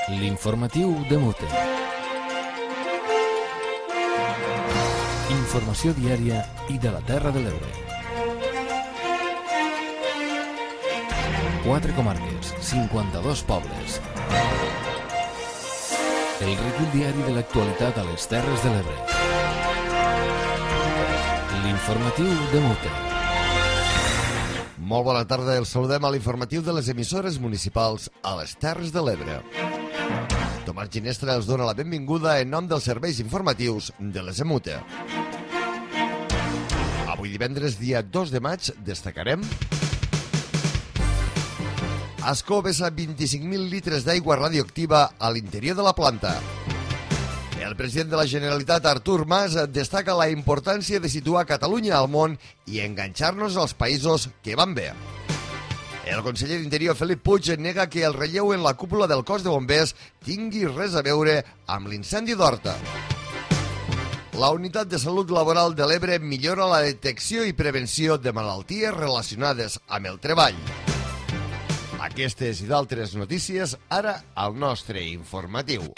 L'informatiu de Mute. Informació diària i de la Terra de l'Ebre. 4 comarques, 52 pobles. El recull diari de l'actualitat a les Terres de l'Ebre. L'informatiu de Mute. Molt bona tarda, els saludem a l'informatiu de les emissores municipals a les Terres de l'Ebre. Tomàs Ginestra els dona la benvinguda en nom dels serveis informatius de les EMUTE. Avui divendres, dia 2 de maig, destacarem: Ascó vessa 25.000 litres d'aigua radioactiva a l'interior de la planta. El president de la Generalitat, Artur Mas, destaca la importància de situar Catalunya al món i enganxar-nos als països que van bé. El conseller d'Interior, Felip Puig, nega que el relleu en la cúpula del cos de bombers tingui res a veure amb l'incendi d'Horta. La Unitat de Salut Laboral de l'Ebre millora la detecció i prevenció de malalties relacionades amb el treball. Aquestes i d'altres notícies ara al nostre informatiu.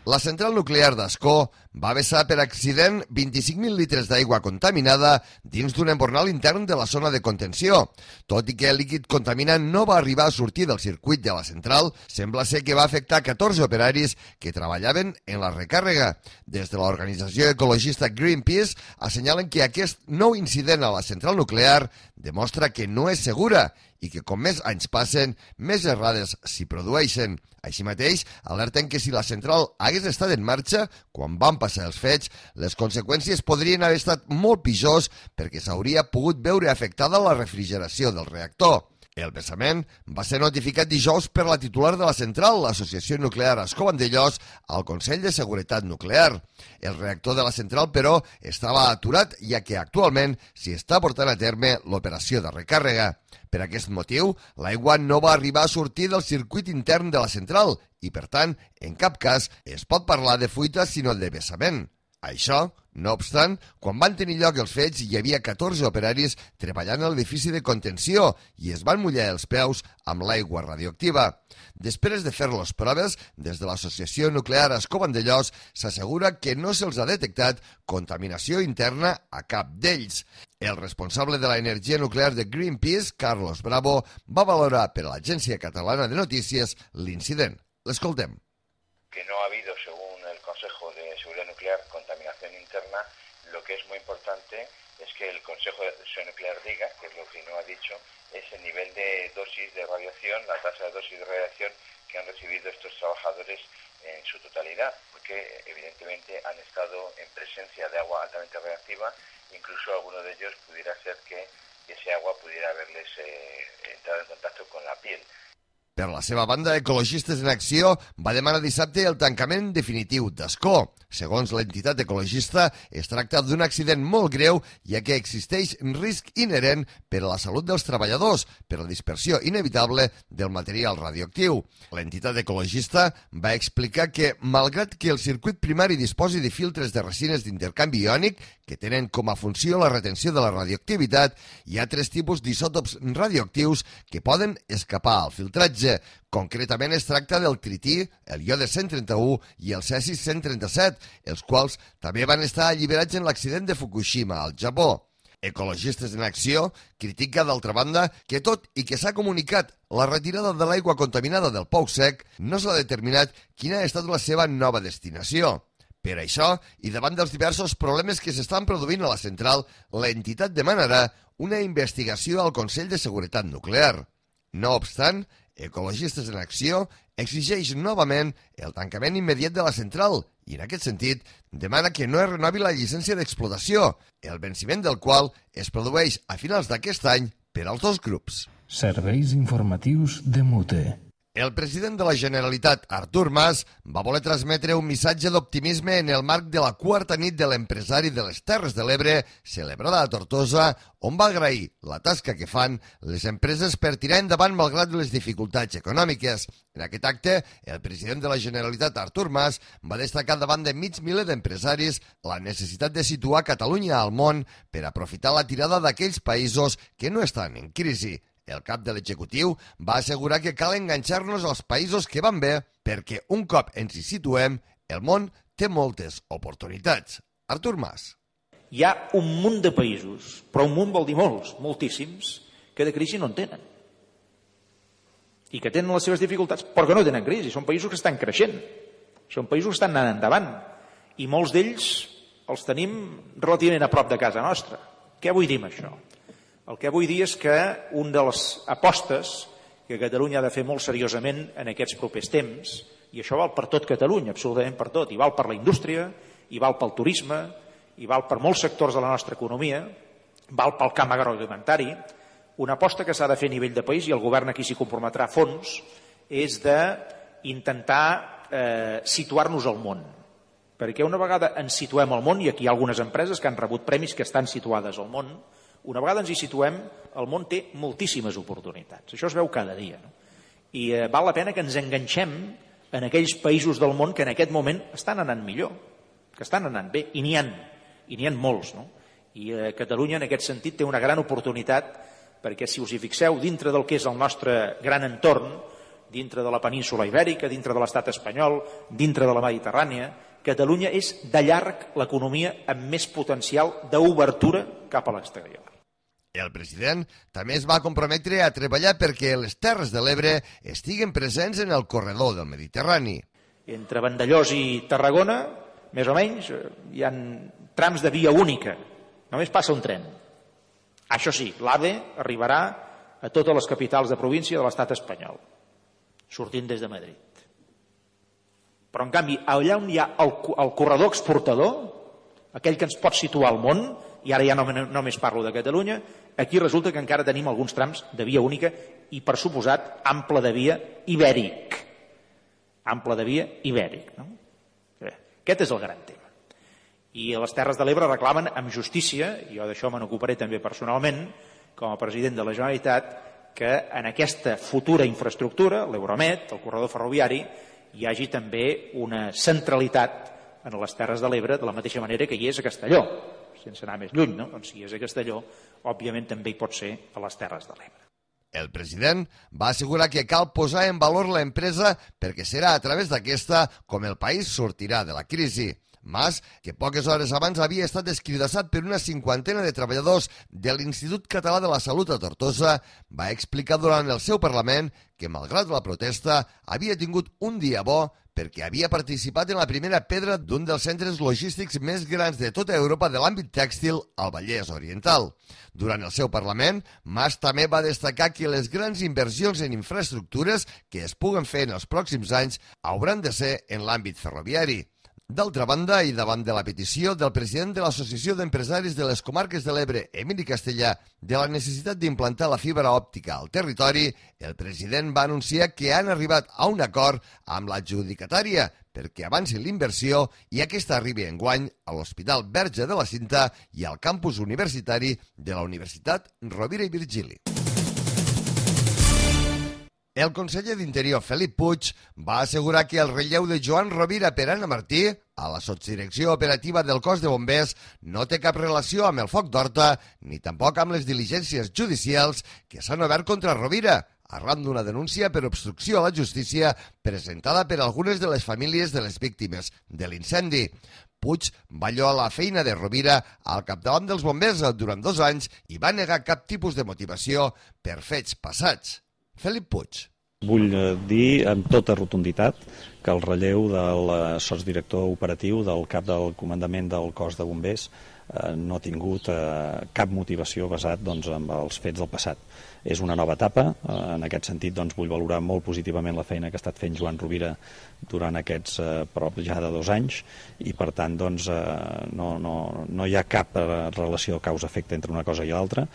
La central nuclear d'Ascó va vessar per accident 25.000 litres d'aigua contaminada dins d'un embornal intern de la zona de contenció. Tot i que el líquid contaminant no va arribar a sortir del circuit de la central, sembla ser que va afectar 14 operaris que treballaven en la recàrrega. Des de l'organització ecologista Greenpeace assenyalen que aquest nou incident a la central nuclear demostra que no és segura i que com més anys passen, més errades s'hi produeixen. Així mateix, alerten que si la central hagués estat en marxa quan van passar els fets, les conseqüències podrien haver estat molt pitjors perquè s'hauria pogut veure afectada la refrigeració del reactor. El vessament va ser notificat dijous per la titular de la central, l'Associació Nuclear Ascó-Vandellòs, al Consell de Seguretat Nuclear. El reactor de la central, però, estava aturat, ja que actualment s'hi està portant a terme l'operació de recàrrega. Per aquest motiu, l'aigua no va arribar a sortir del circuit intern de la central i, per tant, en cap cas es pot parlar de fuita sinó de vessament. Això, no obstant, quan van tenir lloc els fets hi havia 14 operaris treballant a l'edifici de contenció i es van mullar els peus amb l'aigua radioactiva. Després de fer les proves, des de l'Associació Nuclear Ascó-Vandellòs s'assegura que no se'ls ha detectat contaminació interna a cap d'ells. El responsable de l'energia nuclear de Greenpeace, Carlos Bravo, va valorar per a l'Agència Catalana de Notícies l'incident. L'escoltem. Que no ha habido, según el Consejo de Seguridad Nuclear, contaminación interna. Lo que es muy importante es que el Consejo de Seguridad Nuclear diga, que es lo que no ha dicho, es el nivel de dosis de radiación, la tasa de dosis de radiación que han recibido estos trabajadores en su totalidad, porque evidentemente han estado en presencia de agua altamente radiactiva, incluso alguno de ellos pudiera ser que ese agua pudiera haberles entrado en contacto con la piel. Per la seva banda, Ecologistes en Acció va demanar dissabte el tancament definitiu d'Ascó. Segons l'entitat ecologista, es tracta d'un accident molt greu, ja que existeix risc inherent per a la salut dels treballadors per la dispersió inevitable del material radioactiu. L'entitat ecologista va explicar que, malgrat que el circuit primari disposi de filtres de resines d'intercanvi iònic que tenen com a funció la retenció de la radioactivitat, hi ha 3 tipus d'isòtops radioactius que poden escapar al filtratge. Concretament es tracta del trití, el iode 131 i el cesi 137, els quals també van estar alliberats en l'accident de Fukushima, al Japó. Ecologistes en Acció critica, d'altra banda, que tot i que s'ha comunicat la retirada de l'aigua contaminada del pou sec, no s'ha determinat quina ha estat la seva nova destinació. Per això, i davant dels diversos problemes que s'estan produint a la central, l'entitat demanarà una investigació al Consell de Seguretat Nuclear. No obstant, Ecologistes en Acció exigeix novament el tancament immediat de la central i, en aquest sentit, demana que no es renovi la llicència d'explotació, el venciment del qual es produeix a finals d'aquest any per als 2 grups. Serveis informatius de Mute. El president de la Generalitat, Artur Mas, va voler transmetre un missatge d'optimisme en el marc de la quarta nit de l'empresari de les Terres de l'Ebre, celebrada a Tortosa, on va agrair la tasca que fan les empreses per tirar endavant malgrat les dificultats econòmiques. En aquest acte, el president de la Generalitat, Artur Mas, va destacar davant de mig miler d'empresaris la necessitat de situar Catalunya al món per aprofitar la tirada d'aquells països que no estan en crisi. El cap de l'executiu va assegurar que cal enganxar-nos als països que van bé perquè un cop ens hi situem, el món té moltes oportunitats. Artur Mas. Hi ha un munt de països, però un munt vol dir molts, moltíssims, que de crisi no en tenen. I que tenen les seves dificultats, però que no tenen crisi. Són països que estan creixent, són països que estan anant endavant. I molts d'ells els tenim relativament a prop de casa nostra. Què vull dir amb això? El que vull dir és que una de les apostes que Catalunya ha de fer molt seriosament en aquests propers temps, i això val per tot Catalunya, absolutament per tot, i val per la indústria, i val pel turisme, i val per molts sectors de la nostra economia, val pel camp agroalimentari, una aposta que s'ha de fer a nivell de país, i el govern aquí s'hi comprometrà a fons, és d'intentar situar-nos al món. Perquè una vegada ens situem al món, i aquí hi ha algunes empreses que han rebut premis que estan situades al món, una vegada ens hi situem, el món té moltíssimes oportunitats. Això es veu cada dia. No? I val la pena que ens enganxem en aquells països del món que en aquest moment estan anant millor, que estan anant bé, i n'hi ha molts. No? I Catalunya en aquest sentit té una gran oportunitat perquè si us hi fixeu, dintre del que és el nostre gran entorn, dintre de la península ibèrica, dintre de l'estat espanyol, dintre de la Mediterrània, Catalunya és de llarg l'economia amb més potencial d'obertura cap a l'exterior. El president també es va comprometre a treballar perquè les Terres de l'Ebre estiguen presents en el corredor del Mediterrani. Entre Vandellòs i Tarragona, més o menys, hi ha trams de via única. Només passa un tren. Això sí, l'AVE arribarà a totes les capitals de província de l'estat espanyol, sortint des de Madrid. Però, en canvi, allà on hi ha el corredor exportador, aquell que ens pot situar al món, i ara ja no només parlo de Catalunya, aquí resulta que encara tenim alguns trams de via única i, per suposat, ample de via ibèric. Ample de via ibèric. No? Aquest és el gran tema. I les Terres de l'Ebre reclamen amb justícia, i jo d'això me n'ocuparé també personalment, com a president de la Generalitat, que en aquesta futura infraestructura, l'Euromed, el corredor ferroviari, hi hagi també una centralitat en les Terres de l'Ebre, de la mateixa manera que hi és a Castelló, sense anar més lluny, no? Doncs si és a Castelló, òbviament també hi pot ser a les Terres de l'Ebre. El president va assegurar que cal posar en valor l'empresa perquè serà a través d'aquesta com el país sortirà de la crisi. Mas, que poques hores abans havia estat escridassat per una 50ena de treballadors de l'Institut Català de la Salut a Tortosa, va explicar durant el seu Parlament que, malgrat la protesta, havia tingut un dia bo perquè havia participat en la primera pedra d'un dels centres logístics més grans de tota Europa de l'àmbit tèxtil al Vallès Oriental. Durant el seu Parlament, Mas també va destacar que les grans inversions en infraestructures que es puguen fer en els pròxims anys hauran de ser en l'àmbit ferroviari. D'altra banda, i davant de la petició del president de l'Associació d'Empresaris de les Comarques de l'Ebre, Emili Castellà, de la necessitat d'implantar la fibra òptica al territori, el president va anunciar que han arribat a un acord amb l'adjudicatària perquè avanci l'inversió i aquesta arribi enguany a l'Hospital Verge de la Cinta i al campus universitari de la Universitat Rovira i Virgili. El conseller d'Interior, Felip Puig, va assegurar que el relleu de Joan Rovira per Anna Martí a la sotsdirecció operativa del cos de bombers no té cap relació amb el foc d'Horta ni tampoc amb les diligències judicials que s'han obert contra Rovira, arran d'una denúncia per obstrucció a la justícia presentada per algunes de les famílies de les víctimes de l'incendi. Puig va lloar la feina de Rovira al capdavant dels bombers durant 2 anys i va negar cap tipus de motivació per fets passats. Felip Puig. Vull dir amb tota rotunditat que el relleu del sotsdirector operatiu del cap del comandament del cos de bombers no ha tingut cap motivació basat doncs, en els fets del passat. És una nova etapa, en aquest sentit doncs, vull valorar molt positivament la feina que ha estat fent Joan Rovira durant aquests prop ja de 2 anys i per tant doncs, no hi ha cap relació causa-efecte entre una cosa i l'altra,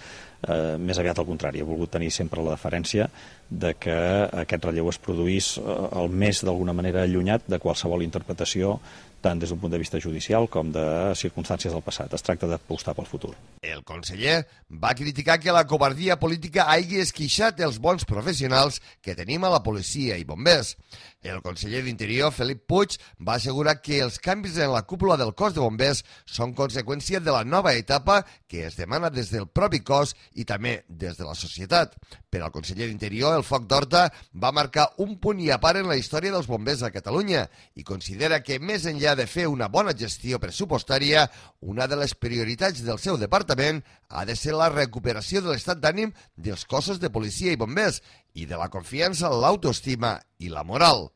més aviat al contrari, he volgut tenir sempre la deferència de que aquest relleu es produís el més d'alguna manera allunyat de qualsevol interpretació tant des d'un punt de vista judicial com de circumstàncies del passat. Es tracta d'apostar pel futur. El conseller va criticar que la covardia política hagi esquixat els bons professionals que tenim a la policia i bombers. El conseller d'Interior, Felip Puig, va assegurar que els canvis en la cúpula del cos de bombers són conseqüència de la nova etapa que es demana des del propi cos i també des de la societat. Per al conseller d'Interior, el foc d'Horta va marcar un punt i a part en la història dels bombers a Catalunya i considera que més enllà de fer una bona gestió pressupostària, una de les prioritats del seu departament ha de ser la recuperació de l'estat d'ànim dels cossos de policia i bombers i de la confiança, l'autoestima i la moral.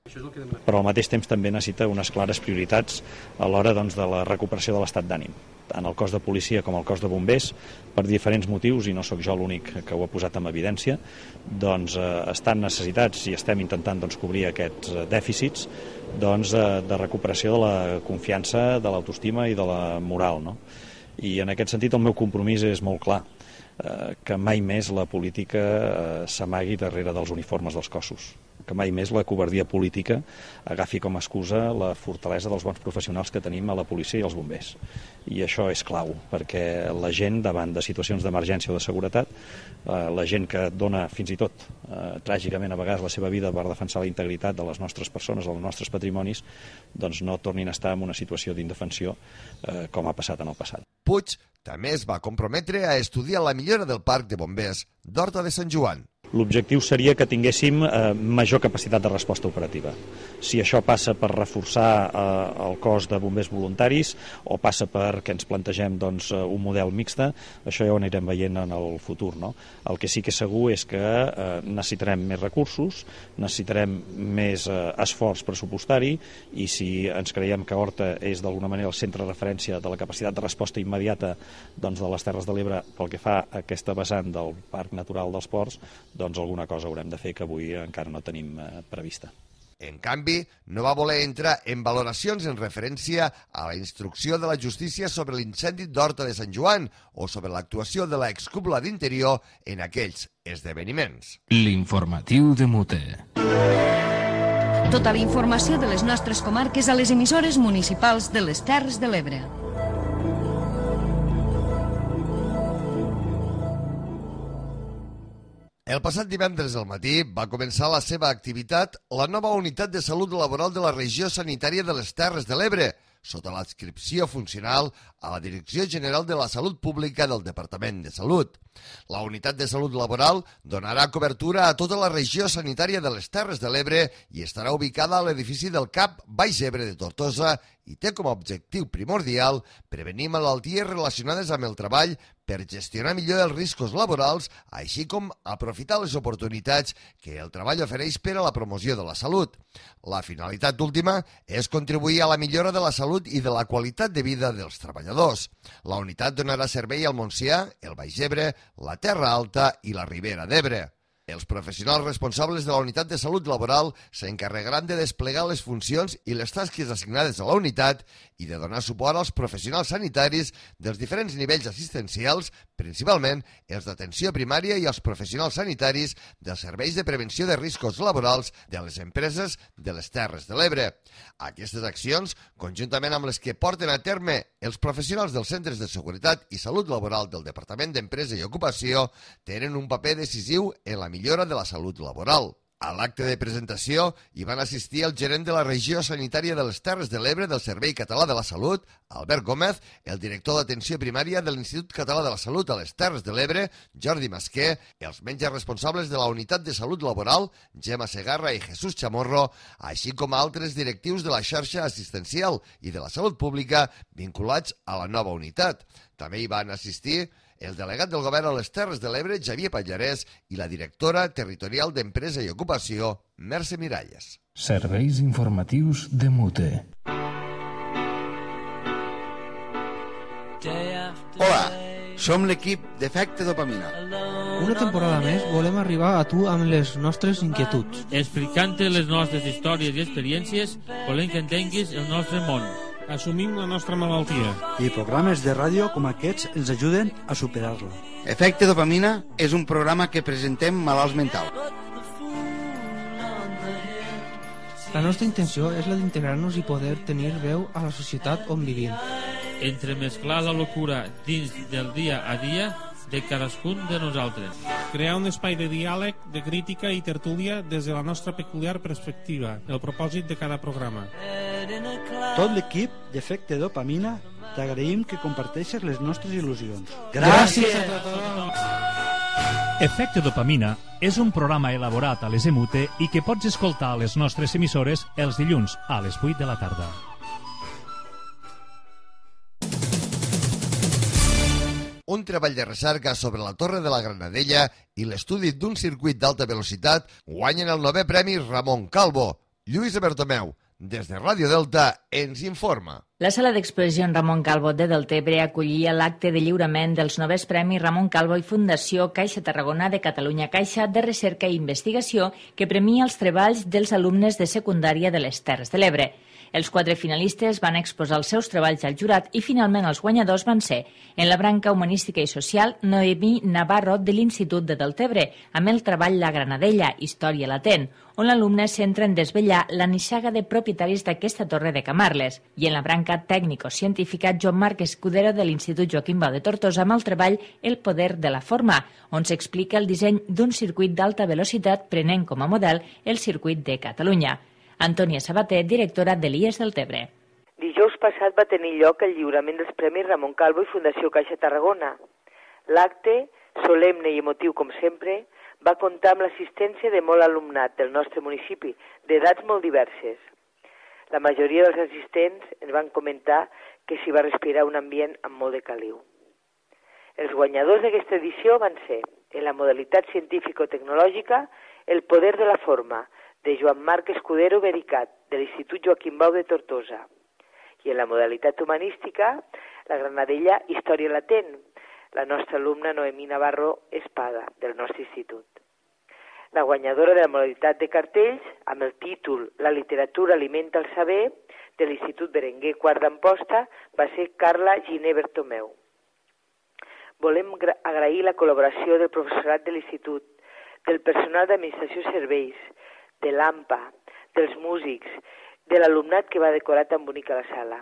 Però al mateix temps també necessita unes clares prioritats a l'hora doncs, de la recuperació de l'estat d'ànim. Tant el cos de policia com el cos de bombers, per diferents motius, i no sóc jo l'únic que ho ha posat en evidència, doncs estan necessitats i estem intentant doncs, cobrir aquests dèficits doncs, de recuperació de la confiança, de l'autoestima i de la moral. No? I en aquest sentit el meu compromís és molt clar, que mai més la política s'amagui darrere dels uniformes dels cossos, que mai més la covardia política agafi com a excusa la fortalesa dels bons professionals que tenim a la policia i als bombers. I això és clau, perquè la gent davant de situacions d'emergència o de seguretat, la gent que dona fins i tot tràgicament a vegades la seva vida per defensar la integritat de les nostres persones, dels nostres patrimonis, doncs no tornin a estar en una situació d'indefensió com ha passat en el passat. Puig també es va comprometre a estudiar la millora del parc de bombers d'Horta de Sant Joan. L'objectiu seria que tinguéssim major capacitat de resposta operativa. Si això passa per reforçar el cos de bombers voluntaris o passa perquè ens plantegem doncs, un model mixte, això ja ho anirem veient en el futur. No? El que sí que és segur és que necessitarem més recursos, necessitarem més esforç pressupostari i si ens creiem que Horta és d'alguna manera el centre de referència de la capacitat de resposta immediata doncs, de les Terres de l'Ebre pel que fa a aquesta vessant del Parc Natural dels Ports, doncs alguna cosa haurem de fer que avui encara no tenim prevista. En canvi, no va voler entrar en valoracions en referència a la instrucció de la justícia sobre l'incendi d'Horta de Sant Joan o sobre l'actuació de l'excúpula d'Interior en aquells esdeveniments. L'informatiu de Mute. Tota la informació de les nostres comarques a les emissores municipals de les Terres de l'Ebre. El passat divendres al matí va començar la seva activitat la nova unitat de salut laboral de la regió sanitària de les Terres de l'Ebre, sota l'adscripció funcional a la Direcció General de la Salut Pública del Departament de Salut. La unitat de salut laboral donarà cobertura a tota la regió sanitària de les Terres de l'Ebre i estarà ubicada a l'edifici del CAP Baix Ebre de Tortosa i té com a objectiu primordial prevenir malalties relacionades amb el treball per gestionar millor els riscos laborals, així com aprofitar les oportunitats que el treball ofereix per a la promoció de la salut. La finalitat última és contribuir a la millora de la salut i de la qualitat de vida dels treballadors. La unitat donarà servei al Montsià, el Baix Ebre, la Terra Alta i la Ribera d'Ebre. Els professionals responsables de la unitat de salut laboral s'encarregaran de desplegar les funcions i les tasques assignades a la unitat i de donar suport als professionals sanitaris dels diferents nivells assistencials, principalment els d'atenció primària i els professionals sanitaris dels serveis de prevenció de riscos laborals de les empreses de les Terres de l'Ebre. Aquestes accions, conjuntament amb les que porten a terme els professionals dels centres de seguretat i salut laboral del Departament d'Empresa i Ocupació, tenen un paper decisiu en la millora de la salut laboral. A l'acte de presentació hi van assistir el gerent de la regió sanitària de les Terres de l'Ebre del Servei Català de la Salut, Albert Gómez, el director d'atenció primària de l'Institut Català de la Salut a les Terres de l'Ebre, Jordi Masquer, els metges responsables de la unitat de salut laboral, Gemma Segarra i Jesús Chamorro, així com altres directius de la xarxa assistencial i de la salut pública vinculats a la nova unitat. També hi van assistir el delegat del govern a les Terres de l'Ebre, Xavier Pallarès, i la directora territorial d'Empresa i Ocupació, Mercè Miralles. Serveis informatius de Mute. Day Hola, som l'equip d'Efecte Dopamina. Una temporada més volem arribar a tu amb les nostres inquietuds. Explicant-te les nostres històries i experiències, volem que entenguis el nostre món. Assumim la nostra malaltia. I programes de ràdio com aquests ens ajuden a superar-la. Efecte Dopamina és un programa que presentem malalts mentals. La nostra intenció és la d'integrar-nos i poder tenir veu a la societat on vivim. Entremesclar la locura dins del dia a dia de cadascun de nosaltres. Crear un espai de diàleg, de crítica i tertúlia des de la nostra peculiar perspectiva, el propòsit de cada programa. Tot l'equip d'Efecte Dopamina t'agraïm que comparteixes les nostres il·lusions. Gràcies a tothom! Efecte Dopamina és un programa elaborat a les EMUTE i que pots escoltar a les nostres emissores els dilluns a les 8 de la tarda. Un treball de recerca sobre la Torre de la Granadella i l'estudi d'un circuit d'alta velocitat guanyen el 9è Premi Ramon Calvo. Lluís Bertomeu, des de Ràdio Delta, ens informa. La sala d'exposició Ramon Calvo de Deltebre acollia l'acte de lliurament dels 9è Premis Ramon Calvo i Fundació Caixa Tarragona de Catalunya Caixa de Recerca i Investigació que premia els treballs dels alumnes de secundària de les Terres de l'Ebre. Els 4 finalistes van exposar els seus treballs al jurat i finalment els guanyadors van ser, en la branca humanística i social, Noemí Navarro de l'Institut de Deltebre, amb el treball La Granadella, Història latent, on l'alumne centra en desvetllar la nissaga de propietaris d'aquesta torre de Camarles, i en la branca tècnico-científica Joan Marc Escudero de l'Institut Joaquim Bau de Tortosa amb el treball El poder de la forma, on s'explica el disseny d'un circuit d'alta velocitat prenent com a model el circuit de Catalunya. Antònia Sabater, directora de l'IES Deltebre. Dijous passat va tenir lloc el lliurament dels Premis Ramon Calvo i Fundació Caixa Tarragona. L'acte, solemne i emotiu com sempre, va comptar amb l'assistència de molt alumnat del nostre municipi, d'edats molt diverses. La majoria dels assistents ens van comentar que s'hi va respirar un ambient amb molt de caliu. Els guanyadors d'aquesta edició van ser, en la modalitat científico-tecnològica, El poder de la forma, de Joan Marc Escudero Vericat, de l'Institut Joaquim Bau de Tortosa. I en la modalitat humanística, La Granadella, Història latent, la nostra alumna Noemí Navarro Espada, del nostre institut. La guanyadora de la modalitat de cartells, amb el títol La literatura alimenta el saber, de l'Institut Berenguer Quart d'Amposta, va ser Carla Giner Bertomeu. Volem agrair la col·laboració del professorat de l'Institut, del personal d'administració i serveis, de l'AMPA, dels músics, de l'alumnat que va decorar tan bonica la sala.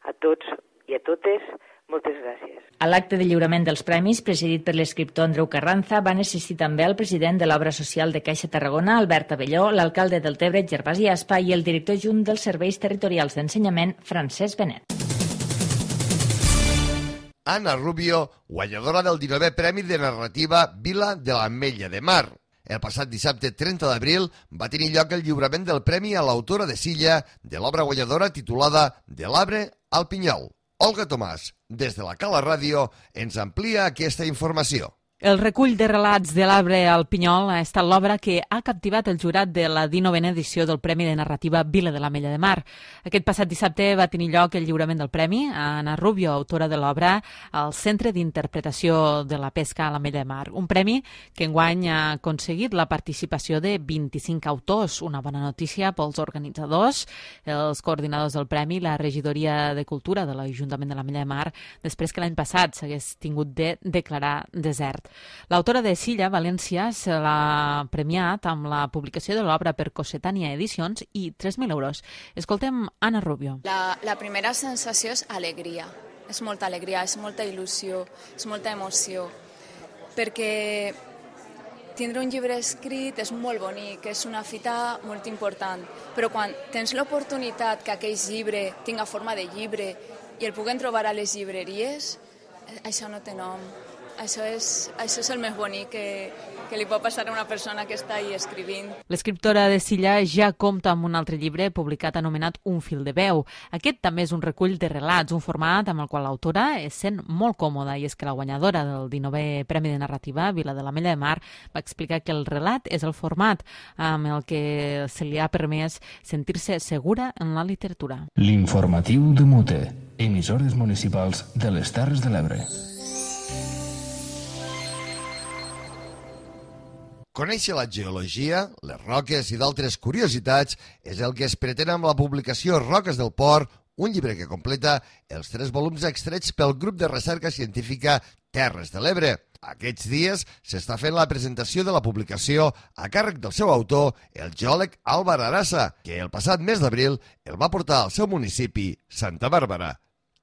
A tots i a totes, moltes gràcies. A l'acte de lliurament dels premis, presidit per l'escriptor Andreu Carranza, van assistir també el president de l'Obra Social de Caixa Tarragona, Albert Abelló, l'alcalde del Deltebre, Gervasi Aspa, i el director junt dels Serveis Territorials d'Ensenyament, Francesc Benet. Ana Rubio, guanyadora del 19è Premi de Narrativa Vila de l'Ametlla de Mar. El passat dissabte 30 d'abril va tenir lloc el lliurament del premi a l'autora de Silla de l'obra guanyadora titulada De l'arbre al pinyol. Olga Tomàs, des de la Cala Ràdio, ens amplia aquesta informació. El recull de relats de l'arbre al pinyol ha estat l'obra que ha captivat el jurat de la 19a edició del Premi de Narrativa Vila de l'Ametlla de Mar. Aquest passat dissabte va tenir lloc el lliurament del premi a Ana Rubio, autora de l'obra, al Centre d'Interpretació de la Pesca a l'Ametlla de Mar. Un premi que enguany ha aconseguit la participació de 25 autors, una bona notícia pels organitzadors, els coordinadors del premi, la regidoria de Cultura de l'Ajuntament de l'Ametlla de Mar, després que l'any passat s'hagués tingut de declarar desert. L'autora de Silla, València, se l'ha premiat amb la publicació de l'obra per Cossetània Edicions i 3.000 euros. Escoltem Ana Rubio. La primera sensació és alegria. És molta alegria, és molta il·lusió, és molta emoció. Perquè tindre un llibre escrit és molt bonic, és una fita molt important. Però quan tens l'oportunitat que aquell llibre tinga forma de llibre i el puguem trobar a les llibreries, això no té nom. Això és el més bonic que li pot passar a una persona que està ahí escrivint. L'escriptora de Silla ja compta amb un altre llibre publicat anomenat Un fil de veu. Aquest també és un recull de relats, un format amb el qual l'autora es sent molt còmoda, i és que la guanyadora del 19è Premi de Narrativa, Vila de l'Ametlla de Mar, va explicar que el relat és el format amb el que se li ha permès sentir-se segura en la literatura. L'informatiu de Mute, emissores municipals de les Terres de l'Ebre. Conèixer la geologia, les roques i d'altres curiositats és el que es pretén amb la publicació Roques del Port, un llibre que completa els 3 volums extrets pel grup de recerca científica Terres de l'Ebre. Aquests dies s'està fent la presentació de la publicació a càrrec del seu autor, el geòleg Álvar Arasa, que el passat mes d'abril el va portar al seu municipi, Santa Bàrbara.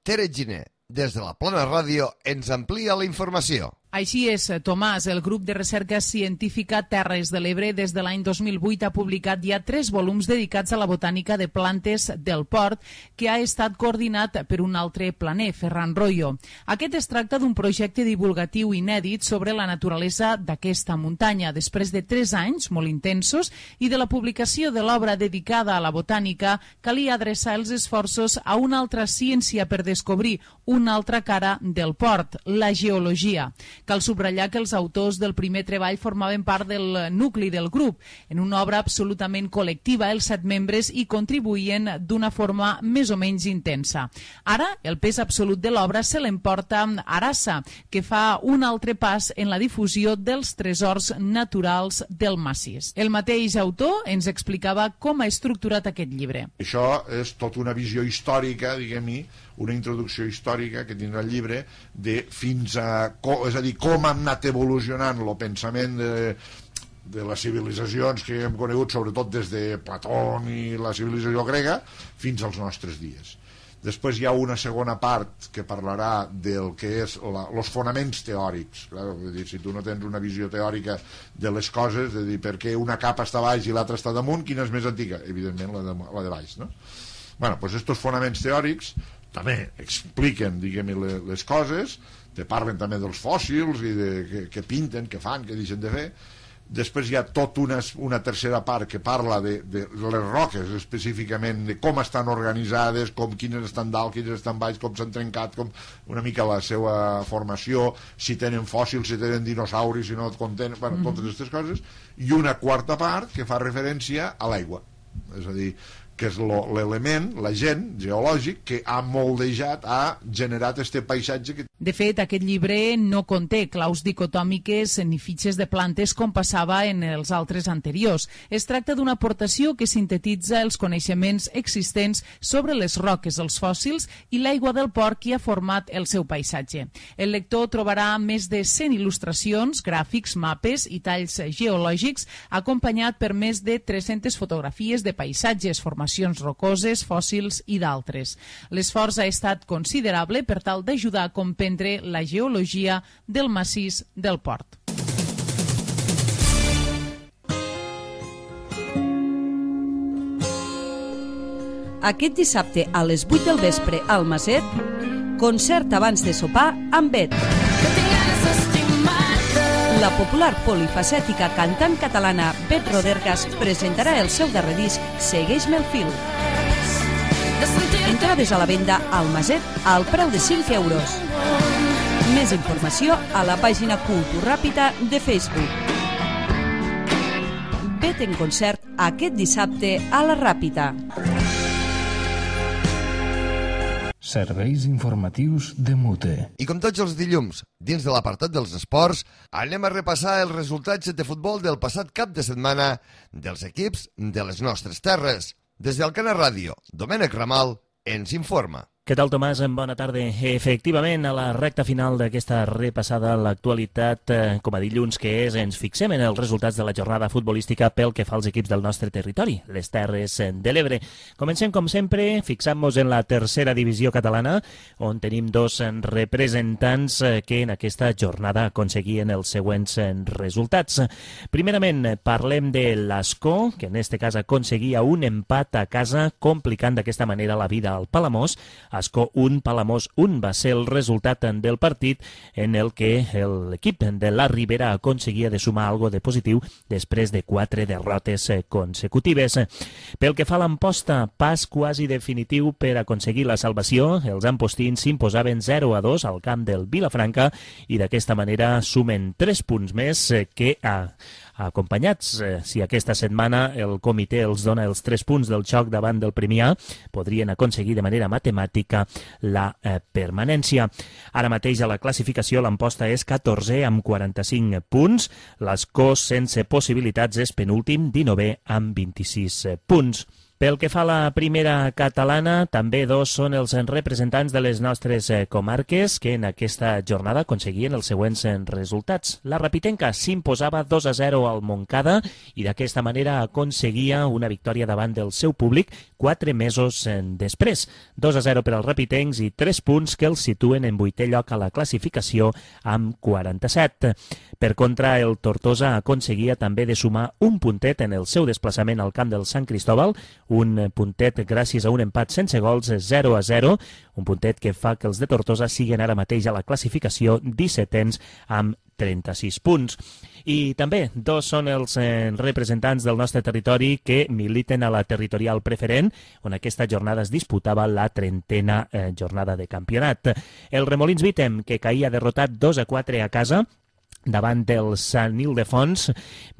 Tere Giner, des de la Plana Ràdio, ens amplia la informació. Així és, Tomàs. El grup de recerca científica Terres de l'Ebre des de l'any 2008 ha publicat ja 3 volums dedicats a la botànica de plantes del port, que ha estat coordinat per un altre planer, Ferran Royo. Aquest es tracta d'un projecte divulgatiu inèdit sobre la naturalesa d'aquesta muntanya. Després de 3 anys molt intensos i de la publicació de l'obra dedicada a la botànica, calia adreçar els esforços a una altra ciència per descobrir una altra cara del port, la geologia. Cal subratllar que els autors del primer treball formaven part del nucli del grup. En una obra absolutament col·lectiva, els 7 membres hi contribuïen d'una forma més o menys intensa. Ara, el pes absolut de l'obra se l'emporta Arasa, que fa un altre pas en la difusió dels tresors naturals del massís. El mateix autor ens explicava com ha estructurat aquest llibre. Això és tota una visió històrica, diguem-hi, una introducció històrica que tindrà el llibre de fins a... és a dir, com han anat evolucionant el pensament de les civilitzacions que hem conegut, sobretot des de Plató i la civilització grega, fins als nostres dies. Després hi ha una segona part que parlarà del que és els fonaments teòrics. Clar, vull dir, si tu no tens una visió teòrica de les coses, de dir per què una capa està baix i l'altra està damunt, quina és més antiga? Evidentment la de baix, no? Bueno, doncs estos fonaments teòrics també expliquen, diguem-hi, les coses, te parlen també dels fòssils i que pinten, que fan, que deixen de fer. Després hi ha tota una tercera part que parla de les roques específicament, de com estan organitzades, quines estan dalt, quines estan baix, com s'han trencat, com una mica la seva formació, si tenen fòssils, si tenen dinosauris, si no contenen, bueno, totes aquestes coses. I una quarta part que fa referència a l'aigua, és a dir, que és l'element, l'agent geològic que ha moldejat, ha generat aquest paisatge que... De fet, aquest llibre no conté claus dicotòmiques ni fitxes de plantes com passava en els altres anteriors. Es tracta d'una aportació que sintetitza els coneixements existents sobre les roques, els fòssils i l'aigua del port que ha format el seu paisatge. El lector trobarà més de 100 il·lustracions, gràfics, mapes i talls geològics, acompanyat per més de 300 fotografies de paisatges, formacions rocoses, fòssils i d'altres. L'esforç ha estat considerable per tal d'ajudar a comprendre la geologia del massís del port. Aquest dissabte a les 8 del vespre al Maset, concert abans de sopar amb Bet. La popular polifacètica cantant catalana Bet Rodergas presentarà el seu darrer disc Segueix-me el fil. Entrades a la venda al Maset al preu de 5 euros. Més informació a la pàgina Cultura Ràpida de Facebook. Bet en concert aquest dissabte a la Ràpida. Serveis informatius de Mute. I com tots els dilluns, dins de l'apartat dels esports, anem a repassar els resultats de futbol del passat cap de setmana dels equips de les nostres terres. Des del Cana Ràdio, Domènec Ramal ens informa. Què tal, Tomàs? Bona tarda. Efectivament, a la recta final d'aquesta repassada a l'actualitat, com a dilluns que és, ens fixem en els resultats de la jornada futbolística pel que fa als equips del nostre territori, les Terres de l'Ebre. Comencem, com sempre, fixant-nos en la tercera divisió catalana, on tenim 2 representants que en aquesta jornada aconseguien els següents resultats. Primerament, parlem de l'Ascó, que en aquest cas aconseguia un empat a casa, complicant d'aquesta manera la vida al Palamós. Ascó 1, Palamós 1 va ser el resultat del partit en el que l'equip de la Ribera aconseguia de sumar algo de positiu després de 4 derrotes consecutives. Pel que fa a l'Amposta, pas quasi definitiu per aconseguir la salvació. Els ampostins s'imposaven 0-2 al camp del Vilafranca i d'aquesta manera sumen 3 punts més que acompanyats. Si aquesta setmana el comitè els dona els 3 punts del xoc davant del Premià, podrien aconseguir de manera matemàtica la permanència. Ara mateix a la classificació l'Amposta és 14è amb 45 punts, l'Escó sense possibilitats és penúltim, 19è amb 26 punts. Pel que fa a la primera catalana, també 2 són els representants de les nostres comarques que en aquesta jornada aconseguien els següents resultats. La Rapitenca s'imposava 2-0 al Montcada i d'aquesta manera aconseguia una victòria davant del seu públic 4 mesos després. 2-0 per als rapitencs i 3 punts que els situen en 8è lloc a la classificació amb 47. Per contra, el Tortosa aconseguia també de sumar un puntet en el seu desplaçament al camp del Sant Cristóbal, un puntet gràcies a un empat sense gols 0-0, un puntet que fa que els de Tortosa siguin ara mateix a la classificació 17ens amb 36 punts. I també 2 són els representants del nostre territori que militen a la territorial preferent, on aquesta jornada es disputava la 30a jornada de campionat. El Remolins Vítem, que caïa derrotat 2-4 a casa, davant del Sant Ildefons,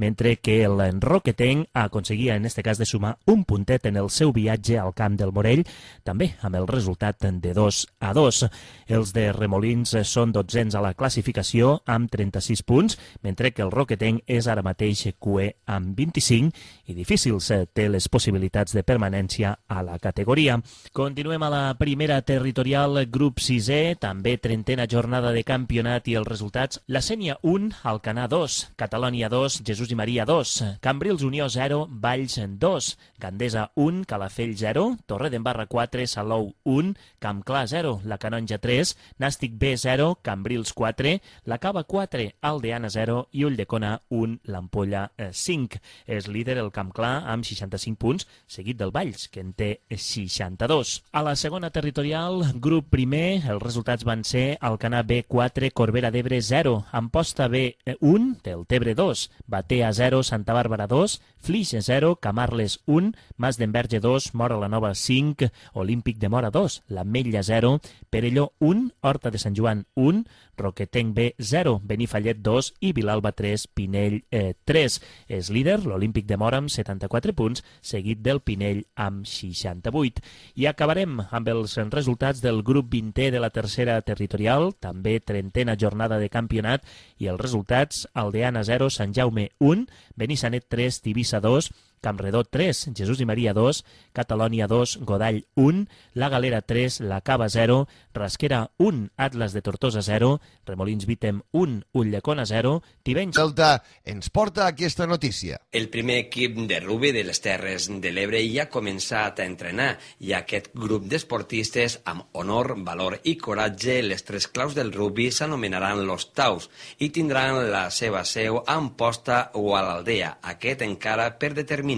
mentre que el Roquetenc aconseguia en este cas de sumar un puntet en el seu viatge al camp del Morell, també amb el resultat de 2-2. Els de Remolins són 12ens a la classificació amb 36 punts, mentre que el Roquetenc és ara mateix cuer amb 25 i difícils té les possibilitats de permanència a la categoria. Continuem a la primera territorial, grup 6è, també 30a jornada de campionat i els resultats. La Sénia 1, Alcanar 2, Catalònia 2, Jesús i Maria 2, Cambrils Unió 0, Valls 2, Gandesa 1, Calafell 0, Torredembarra 4, Salou 1, Campclar 0, La Canonja 3, Nàstic B 0, Cambrils 4, La Cava 4, Aldeana 0 i Ulldecona 1, l'Ampolla 5. És líder el Campclar amb 65 punts, seguit del Valls, que en té 62. A la segona territorial, grup primer, els resultats van ser Alcanar B 4, Corbera d'Ebre 0, Amposta B 1, Deltebre 2, Batea 0, Santa Bàrbara 2, Flix 0, Camarles 1, Mas d'Enverge 2, Mora la Nova 5, Olímpic de Mora 2, l'Ametlla 0, Perelló 1, Horta de Sant Joan 1, Roquetenc B 0, Benifallet 2 i Vilalba 3, Pinell 3. És líder l'Olímpic de Mora amb 74 punts, seguit del Pinell amb 68. I acabarem amb els resultats del grup 20è de la tercera territorial, també 30a jornada de campionat, i els resultats: Aldeana 0, Sant Jaume 1, Benissanet 3, Tivissa 2, Campredó 3, Jesús i Maria 2, Catalònia 2, Godall 1, La Galera 3, La Cava 0, Rasquera 1, Atlas de Tortosa 0, Remolins Vítem 1, Ulldecona 0, Tivenys... Delta ens porta aquesta notícia. El primer equip de rugbi de les Terres de l'Ebre ja ha començat a entrenar i aquest grup d'esportistes amb honor, valor i coratge, les 3 claus del rugbi s'anomenaran los Taus i tindran la seva seu a Amposta o a l'Aldea, aquest encara per determinar.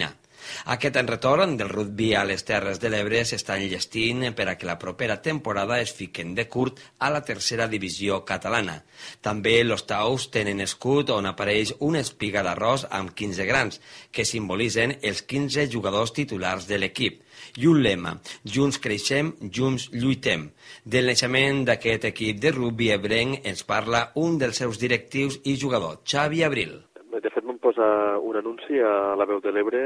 Aquest retorn del rugbi a les Terres de l'Ebre s'està enllestint per a que la propera temporada es fiquen de curt a la tercera divisió catalana. També los Taus tenen escut on apareix una espiga d'arròs amb 15 grans, que simbolitzen els 15 jugadors titulars de l'equip. I un lema: junts creixem, junts lluitem. Del naixement d'aquest equip de rugbi ebrenc ens parla un dels seus directius i jugador, Xavi Abril. De fet, vam posar un anunci a la Veu de l'Ebre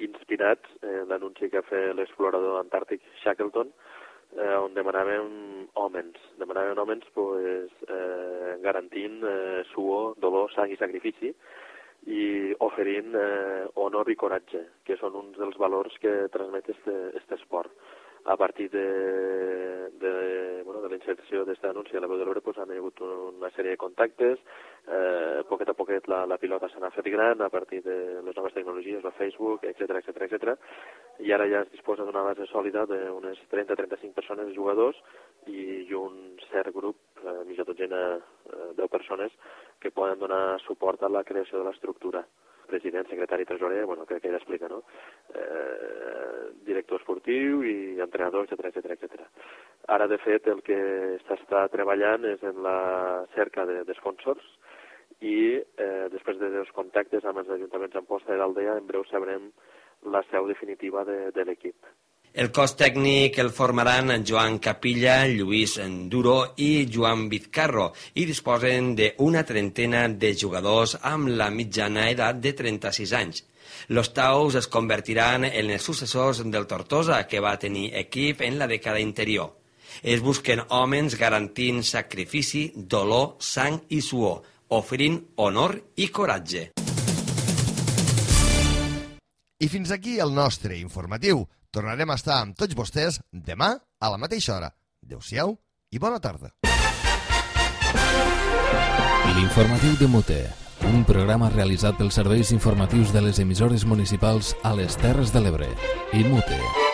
inspirat en l'anunci que ha fet l'explorador antàrtic Shackleton, on demanàvem homes pues, garantint suor, dolor, sang i sacrifici i oferint honor i coratge, que són uns dels valors que transmet este esport. A partir de la inserció d'aquest anunci a la Veu de l'Ebre pues, han hagut una sèrie de contactes, poquet a poquet la pilota s'ha fet gran a partir de les noves tecnologies, el Facebook, etc. I ara ja es disposa d'una base sòlida d'unes 30-35 persones, jugadors, i un cert grup, mitja dotzena, 10 persones, que poden donar suport a la creació de l'estructura. President, secretari, tresorer, crec que ell explica, no? Director esportiu i entrenador, etc. Ara, de fet, el que s'està treballant és en la cerca de sponsors i després dels contactes amb els ajuntaments d'Amposta i d'Aldea, en breu sabrem la seu definitiva de l'equip. El cos tècnic el formaran Joan Capilla, Lluís Duro i Joan Vizcarro i disposen d'una trentena de jugadors amb la mitjana edat de 36 anys. Los Taus es convertiran en els successors del Tortosa, que va tenir equip en la dècada anterior. Es busquen homes garantint sacrifici, dolor, sang i suor, oferint honor i coratge. I fins aquí el nostre informatiu. Tornarem a estar amb tots vostès demà a la mateixa hora. Adéu-siau i bona tarda. L'informatiu de Mute, un programa realitzat pels serveis informatius de les emissores municipals a les Terres de l'Ebre i Mute.